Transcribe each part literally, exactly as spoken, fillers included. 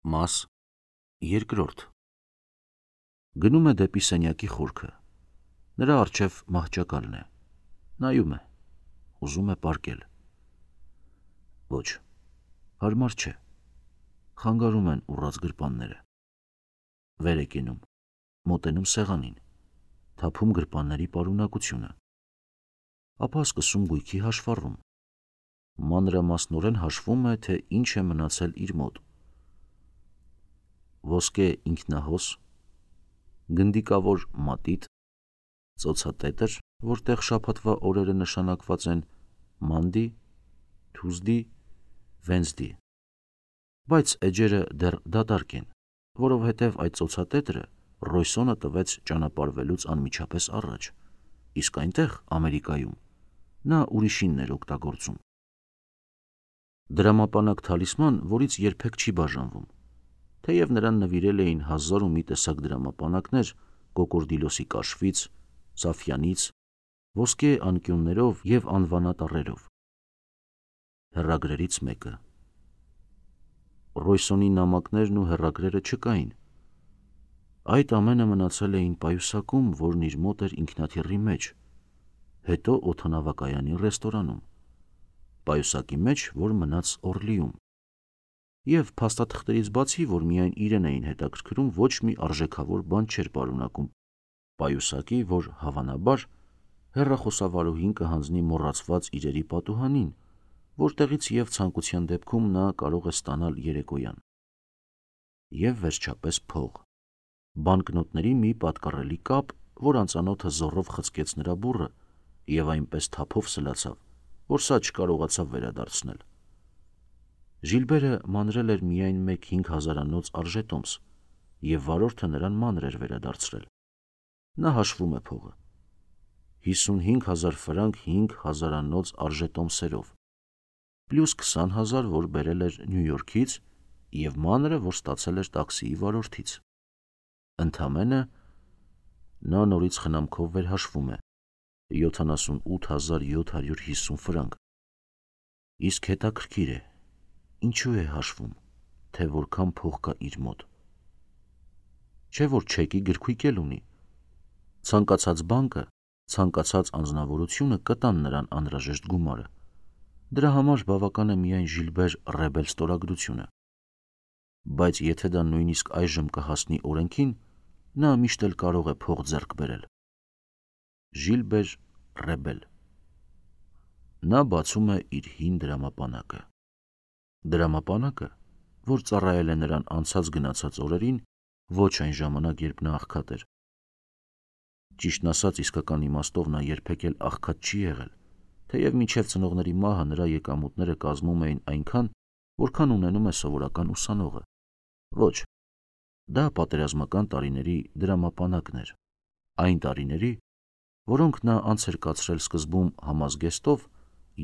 Մաս երկրորդ Գնում է դեպի սենյակի խորքը, նրա առջև մահճակալն է, նայում է, ուզում է պառկել, ոչ, հարմար չէ, խանգարում են ուռած գրպանները, վեր է կենում, մոտենում սեղանին, թափում գրպանների պարունակությունը, ապա սկսում գույքի հաշվառում, մանրամասնորեն հաշվում է, թե ինչ է մնացել իր մոտ, ոսկե ինքնահոս, գնդիկավոր մատիտ, ծոցատետր, որտեղ շաբաթվա օրերը նշանակված են Monday, Tuesday, Wednesday, բայց էջերը դեռ դատարկ են, որովհետև այդ ծոցատետրը Ռոյսոնը տվեց ճանապարհվելուց անմիջապես առաջ, իսկ այնտեղ, Ամերիկայում, նա ուրիշինն էր օգտագործում։ Դրամապանակ թալիսման, որից երբեք չի բաժանվում, թեև նրան նվիրել էին հազար ու մի տեսակ դրամապանակներ կոկորդիլոսի կաշվից, սաֆյանից, ոսկե անկյուններով և անվանատառերով։ Հեռագրերից մեկը։ Ռոյսոնի նամակներն ու հեռագրերը չկային։ Այդ ամենը մնացել էին պայուսակում, որն իր մոտ էր ինքնաթիռի մեջ, հետո օդանավակայանի ռեստորանում, պայուսակի մեջ, որ մնաց Օրլիում, և փաստաթղթերից բացի, որ միայն իրեն էին հետաքրքրում, ոչ մի արժեքավոր բան չէր պարունակում պայուսակի, որ հավանաբար հեռախոսավարուհին կհանձնի մոռացված իրերի պատուհանին, որտեղից և ցանկության դեպքում նա կարող է ստանալ երեկոյան։ Եվ վերջապես փող, բանկնոտների մի պատկառելի կապ, որ անծանոթը զոռով խցկեց նրա բուռը և այնպես թափով սլացավ, որ սա չկարողացավ վերադարձնել։ Ժիլբերը մանրել էր միայն մեկ հինգ հազարանոց արժետոմս, և վարորդը նրան մանր էր վերադարձրել։ Նա հաշվում է փողը. հիսունհինգ հազար ֆրանկ հինգ հազարանոց արժետոմսերով, պլյուս քսան հազար, որ բերել էր Նյու Յորքից, և մանրը, որ ստացել էր տաքսիի վարորդից։ Ընդամենը, նա նորից խնամքով վերհաշվում է, յոթանասունութ հազար յոթ հարյուր հիսուն ֆրանկ։ Իսկ հետաքրքիր է, ինչու է հաշվում, թե որքան փող կա իր մոտ։ Չէ՞ որ չեկի գրքույկ էլ ունի։ Ցանկացած բանկը, ցանկացած անձնավորությունը կտան նրան անհրաժեշտ գումարը։ Դրա համար բավական է միայն Ժիլբեր Ռեբել ստորագրությունը։ Բայց եթե դա նույնիսկ այժմ կհասնի օրենքին, նա միշտ էլ կարող է փող ձեռք բերել։ Ժիլբեր Ռեբել։ Նա բացում է իր հին դրամապանակը։ Դրամապանակը, որ ծառայել է նրան անցած գնացած օրերին, ոչ այն ժամանակ, երբ նա աղքատ էր։ Ճիշտն ասած, իսկական իմաստով նա երբեք էլ աղքատ չի եղել, թեև մինչև ծնողների մահը նրա եկամուտները կազմում էին այնքան, որքան ունենում է սովորական ուսանողը։ Ոչ, դա պատերազմական տարիների դրամապանակն էր, այն տարիների, որոնք նա անց էր կացրել սկզբում համազգեստով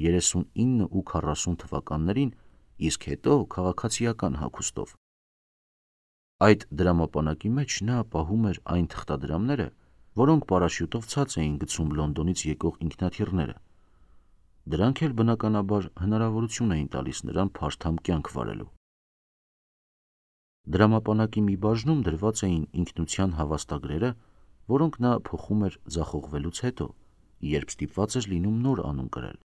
երեսունինը ու քառասուն թվականներին, իսկ հետո քաղաքացիական հագուստով։ Այդ դրամապանակի մեջ նա պահում էր այն թղթադրամները, որոնք պարաշյուտով ցած էին գցում Լոնդոնից եկող ինքնաթիռները։ Դրանք էլ բնականաբար հնարավորություն էին տալիս նրան փարթամ կյանք վարելու։ Դրամապանակի մի բաժնում դրված էին ինքնության հավաստագրերը, որոնք նա փոխում էր ձախողվելուց հետո, երբ ստիպված էր լինում նոր անուն կրել։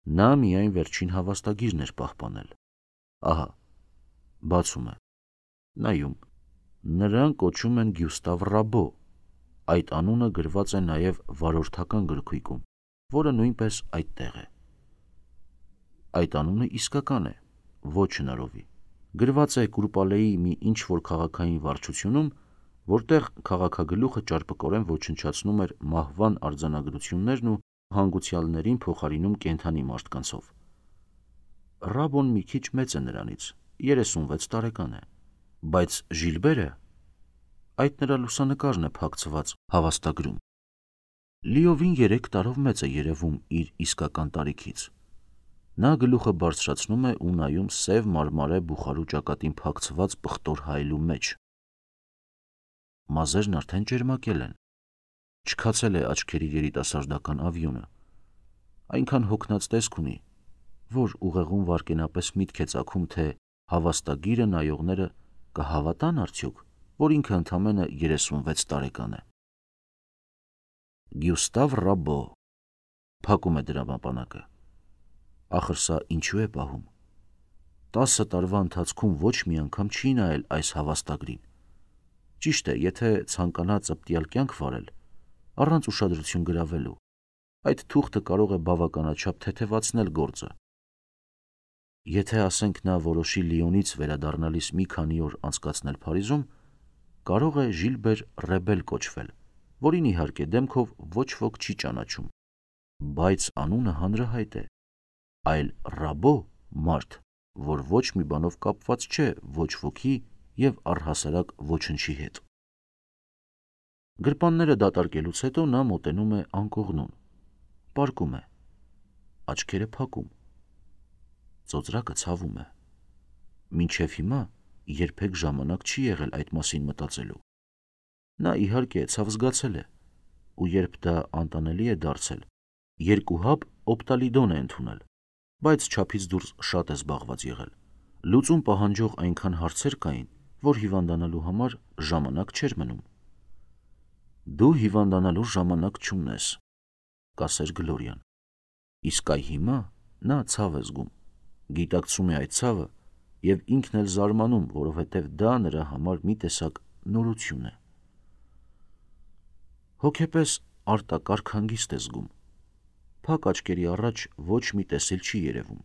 Նա միայն վերջին հավաստագիրն էր պահպանել։ Ահա, բացում է, նայում, նրան կոչում են Գյուստավ Ռաբո, այդ անունը գրված է նաև վարորդական գրքույկում, որը նույնպես այդտեղ է։ Այդ անունը իսկական է, ոչ հնարովի, գրված է Կուրպալեի մի ինչ-որ քաղաքային վարչությունում, որտեղ քաղաքագլուխը ճարպկորեն ոչնչացնում էր մահվան արձանագրություններն ու հանգուցյալներին փոխարինում կենդանի մարդկանցով։ Ռաբոն մի քիչ մեծ է նրանից, երեսունվեց տարեկան է, բայց Ժիլբերը, այդ նրա լուսանկարն է փակցված հավաստագրում, լիովին երեք տարով մեծ է երևում իր իսկական տարիքից։ Նա գլուխը բարձրացնում է ու նայում սև մարմարե բուխարու ճակատին փակցված պղտոր հայելու մեջ։ Մազերն արդեն ճերմակել են, չքացել է աչքերի երիտասարդական ավյունը, այնքան հոգնած տեսք ունի, որ ուղեղում վայրկենապես միտք է ծագում, թե հավաստագիրը նայողները կհավատան արդյոք, որ ինքը ընդամենը երեսունվեց տարեկան է։ Գյուստավ Ռաբո փակում է դրամապանակը։ Ախր սա ինչու է պահում։ Տասը տարվա ընթացքում ոչ մի անգամ չի նայել այս հավաստագրին։ Ճիշտ է, եթե ցանկանա ծպտյալ կյանք վարել, առանց ուշադրություն գրավելու, այդ թուղթը կարող է բավականաչափ թեթևացնել գործը։ Եթե ասենք նա որոշի Լիոնից վերադառնալիս մի քանի օր անցկացնել Փարիզում, կարող է Ժիլբեր Ռեբել կոչվել, որին իհարկե դեմքով ոչ ոք չի ճանաչում, բայց անունը հանրահայտ է, այլ Ռաբո մարդ, որ ոչ մի բանով կապված չէ ոչ ոքի և առհասարակ ոչնչի հետ։ Գրպանները դատարկելուց հետո նա մոտենում է անկողնուն, պառկում է, աչքերը փակում, ծոծրակը ցավում է։ Մինչև հիմա երբեք ժամանակ չի եղել այդ մասին մտածելու։ Նա իհարկե ցավ զգացել է, ու երբ դա անտանելի է դարձել, երկու հապ օպտալիդոն է ընդունել, բայց չափից դուրս շատ է զբաղված եղել։ Լուծում պահանջող այնքան հարցեր կային, որ հիվանդանալու համար ժամանակ չէր մնում։ Դու հիվանդանալու ժամանակ չունես, կասեր Գլորիան։ Իսկ այ հիմա նա ցավ է զգում, գիտակցում է այդ ցավը և ինքն էլ զարմանում, որովհետև դա նրա համար մի տեսակ նորություն է։ Հոգեպես արտակարգ հանգիստ է զգում, փակ աչքերի առաջ ոչ մի տեսիլ չի երևում։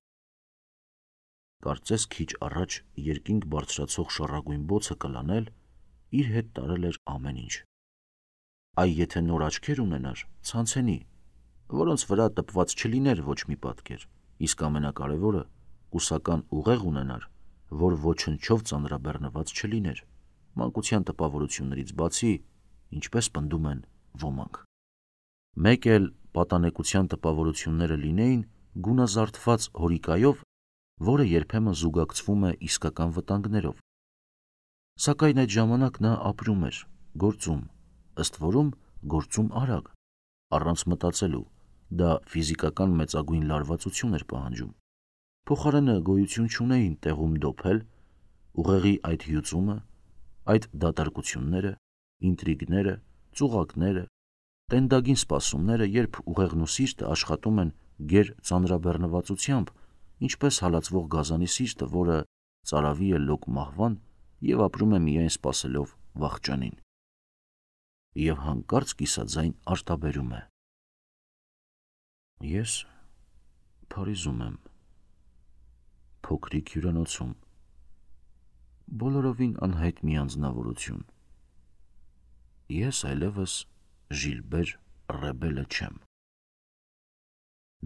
Կարծես քիչ առաջ երկինք բարձրացող շառագույն բոցը կլանել, իր հետ տարել էր ամեն ինչ։ Այ եթե նոր աչքեր ունենար, ցանցենի, որոնց վրա տպված չլիներ ոչ մի պատկեր, իսկ ամենակարևորը կուսական ուղեղ ունենար, որ ոչնչով ծանրաբեռնված չլիներ, մանկության տպավորություններից բացի, ինչպես պնդում են ոմանք։ Մեկ էլ պատանեկության տպավորությունները լինեին գունազարդված հորիկայով, որը երբեմն զուգակցվում է իսկական վտանգներով։ Սակայն այդ ժամանակ նա ապրում էր, գործում, ըստ որում գործում արագ, առանց մտածելու, դա ֆիզիկական մեծագույն լարվածություն էր պահանջում։ Փոխարենը գոյություն չունեին տեղում դոփել, ուղեղի այդ հյուծումը, այդ դատարկությունները, ինտրիգները, ծուղակները, տենդագին սպասումները, երբ ուղեղն ու սիրտը աշխատում են գեր ծանրաբեռնվածությամբ, ինչպես հալածվող գազանի սիրտը, որը ծարավի է լոկ մահվան և ապրում է միայն սպասելով վախճանին։ Եվ հանկարծ կիսաձայն արտաբերում է. Ես Փարիզում եմ, փոքրիկ հյուրանոցում, բոլորովին անհայտ մի անձնավորություն։ Ես այլևս Ժիլբեր Ռեբելը չեմ։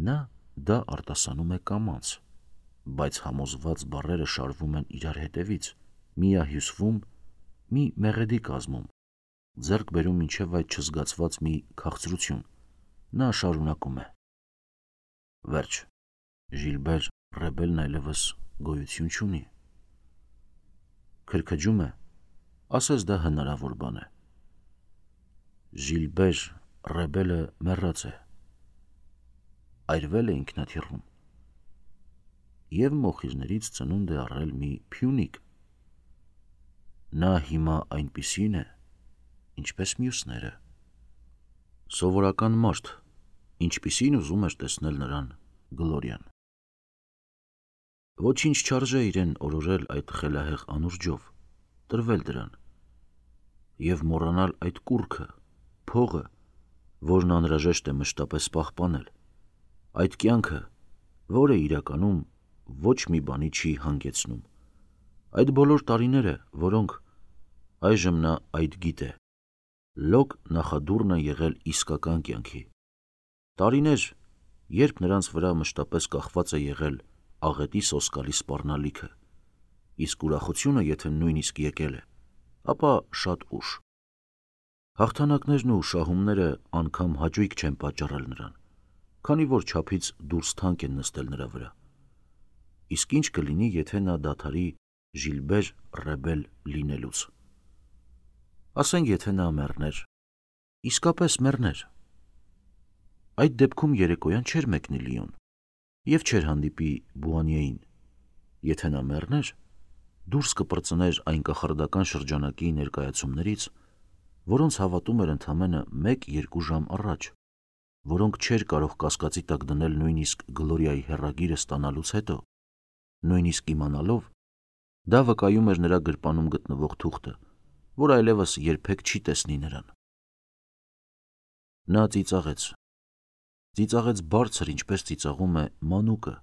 Նա դա արտասանում է կամաց, բայց համոզված բառերը շարվում են իրար հետևից, միահյուսվում, մի մեղեդի կազմում, ձեռք բերում մինչև այդ չզգացված մի քաղցրություն։ Նա շարունակում է. Վերջ, Ժիլբեր Ռեբելն այլևս գոյություն չունի։ Քրքջում է, ասես դա հնարավոր բան է։ Ժիլբեր Ռեբելը մեռած է, այրվել է ինքնաթիռում և մոխիրներից ծնունդ է առել մի փյունիկ։ Նա հիմա այնպիսին է, ինչպես մյուսները։ Սովորական մարդ, ինչպիսին ուզում էր տեսնել նրան Գլորիան։ Ոչինչ չարժե իրեն օրորել այդ խելահեղ անուրջով, տրվել դրան և մոռանալ այդ կուռքը, փողը, որն անհրաժեշտ է մշտապես պահպանել, այդ կյանքը, որը իրականում ոչ մի բանի չի հանգեցնում, այդ բոլոր տարիները, որոնք այժմ նա այդ գիտե, լոկ նախադուռն է եղել իսկական կյանքի, տարիներ, երբ նրանց վրա մշտապես կախված է եղել աղետի սոսկալի սպառնալիքը, իսկ ուրախությունը եթե նույնիսկ եկել է, ապա շատ ուշ։ Հաղթանակներն ու շահումները անգամ հաճույք չեն պատճառել նրան, քանի որ չափից դուրս թանկ են նստել նրա վրա։ Իսկ ինչ կլինի, եթե նա դադարի Ժիլբեր Ռեբել լինելուց։ Ասենք, եթե նա մեռներ, իսկապես մեռներ։ Այդ դեպքում երեկոյան չէր մեկնի Լիոն և չէր հանդիպի Բուանիեին։ Եթե նա մեռներ, դուրս կպրծներ այն կախարդական շրջանակի ներկայացումներից, որոնց հավատում էր ընդամենը մեկ-երկու ժամ առաջ, որոնք չէր կարող կասկածի տակ դնել նույնիսկ Գլորիայի հեռագիրը ստանալուց հետո, նույնիսկ իմանալով, դա վկայում էր նրա գրպանում գտնվող թուղթը, որ այլևս երբեք չի տեսնի նրան։ Նա ծիծաղեց, ծիծաղեց բարձր, ինչպես ծիծաղում է մանուկը,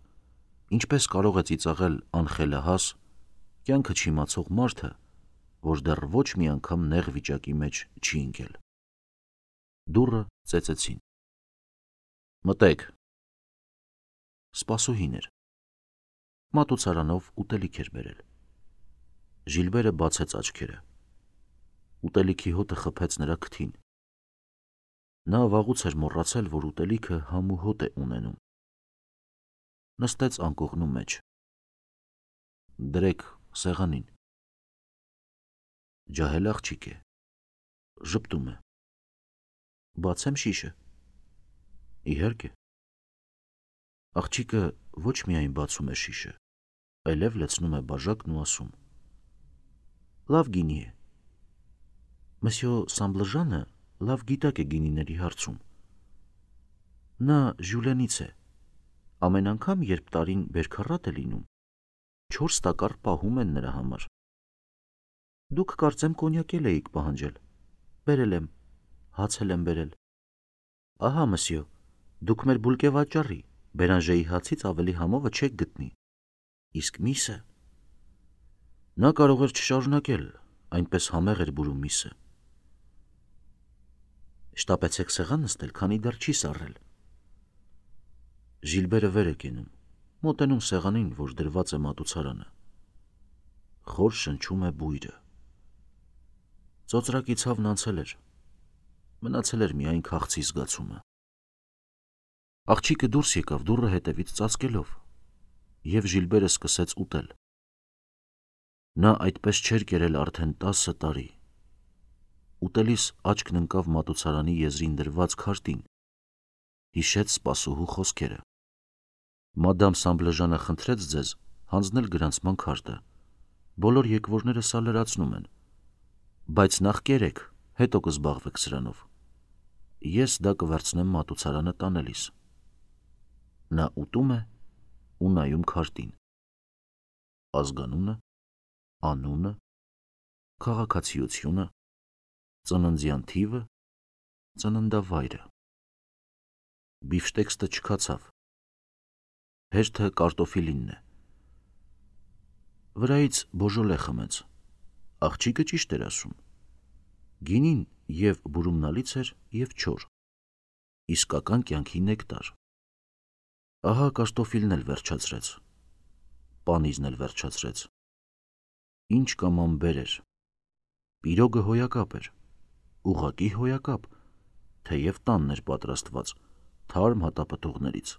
ինչպես կարող է ծիծաղել անխելահաս, կյանքը չիմացող մարդը, որ դեռ ոչ մի անգամ նեղ վիճակի մեջ չի ընկել։ Դուռը ծեծեցին։ Մտեք։ Սպասուհին էր։ Մատուցարանով ուտելիք էր բերել։ Ժիլբերը բացեց աչքերը։ Ուտելիքի հոտը խփեց նրա քթին։ Նա վաղուց էր մոռացել, որ ուտելիքը համ ու հոտ է ունենում։ Նստեց անկողնու մեջ։ Դրեք սեղանին։ Ջահել աղջիկ է, ժպտում է։ Բացեմ շիշը։ Իհարկե։ Աղջիկը ոչ միայն բացում է շիշը, այլև լցնում է բաժակն ու ասում. Լավ գինի է։ Մսյո Սամբլժանը լավ գիտակ է գինիների հարցում։ Նա Ժյուլենից է։ Ամեն անգամ, երբ տարին բերքառատ է լինում, չորս տակառ պահում են նրա համար։ Դուք կարծեմ կոնյակ էլ էիք պահանջել։ Բերել եմ, հաց էլ եմ բերել։ Ահա, մսյո, դուք մեր բուլկե վաճառի, Բերանժեի հացից ավելի համովը չեք գտնի։ Իսկ միսը… Նա կարող էր չշարունակել, այնպես համեղ էր բուրում միսը։ Շտապեցեք սեղան նստել, քանի դեռ չի սառել։ Ժիլբերը վեր է կենում, մոտենում սեղանին, որ դրված է մատուցարանը։ Խոր շնչում է բույրը։ Ծոծրակի ցավն անցել էր, մնացել էր միայն քաղցի զգացումը։ Աղջիկը դուրս եկավ դուռը հետևից ծածկելով, և Ժիլբերը սկսեց ուտել։ Նա այդպես չէր կերել արդեն տասը տարի։ Ուտելիս աչքն ընկավ մատուցարանի եզրին դրված քարտին, հիշեց սպասուհու խոսքերը. Մադամ Սամբլեժանը խնդրեց ձեզ հանձնել գրանցման քարտը, բոլոր եկվորները սա լրացնում են, բայց նախ կերեք, հետո կզբաղվեք սրանով, ես դա կվերցնեմ մատուցարանը տանելիս։ Նա ուտում է ու նայում քարտին։ Ազգանունը, անունը, քաղաքացիությունը, ծննդյան թիվը, ծննդավայրը։ Բիֆշտեքստը չքացավ։ Հերթը կարտոֆիլինն է։ Վրայից բոժոլե խմեց։ Աղջիկը ճիշտ էր ասում։ Գինին և բուրումնալից էր և չոր։ Իսկական կյանքի նեկտար։ Ահա կարտոֆիլն էլ վերջացրեց։ Պանիզն էլ վերջացրեց։ Ինչ կամամբեր էր։ Պիրոգը հոյակապ էր, ուղղակի հոյակապ, թեև տանն էր պատրաստված, թարմ հատապտուղներից։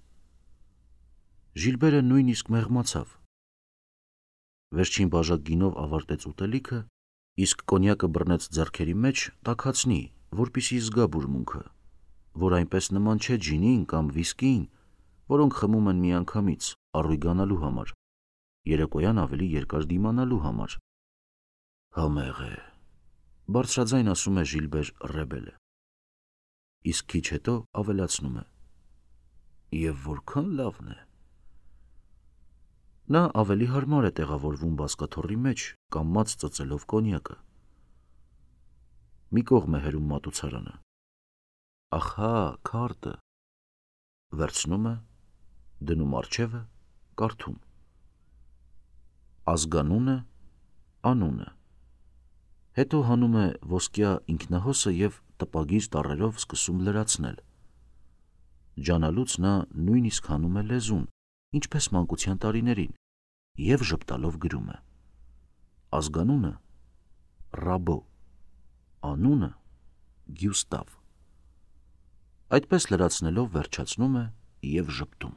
Ժիլբերը նույնիսկ մեղմացավ։ Վերջին բաժակ գինով ավարտեց ուտելիքը, իսկ կոնյակը բռնեց ձեռքերի մեջ տաքացնի, որպեսզի զգա բուրմունքը, որ այնպես նման չէ ջինին կամ վիսկիին, որոնք խմում են միանգամից, առույգանալու համար, երեկոյան ավելի երկար դիմանալու համար։ Համեղ է, բարձրաձայն ասում է Ժիլբեր Ռեբելը։ Իսկ քիչ հետո ավելացնում է. Եվ որքան լավն է։ Նա ավելի հարմար է տեղավորվում բազկաթոռի մեջ, կամաց ծծելով կոնյակը։ Մի կողմ է հերում մատուցարանը։ Ախա, քարտը։ Վերցնում է, դնում առջևը, կարդում։ Ազգանունը, անունը։ Հետո հանում է ոսկյա ինքնահոսը և տպագիր տառերով սկսում լրացնել։ Ջանալուց նա նույնիսկ հանում է լեզուն, ինչպես մանկության տարիներին, և ժպտալով գրում է. ազգանունը Ռաբո, անունը Գյուստավ։ Այդպես լրացնելով վերջացնում է և ժպտում։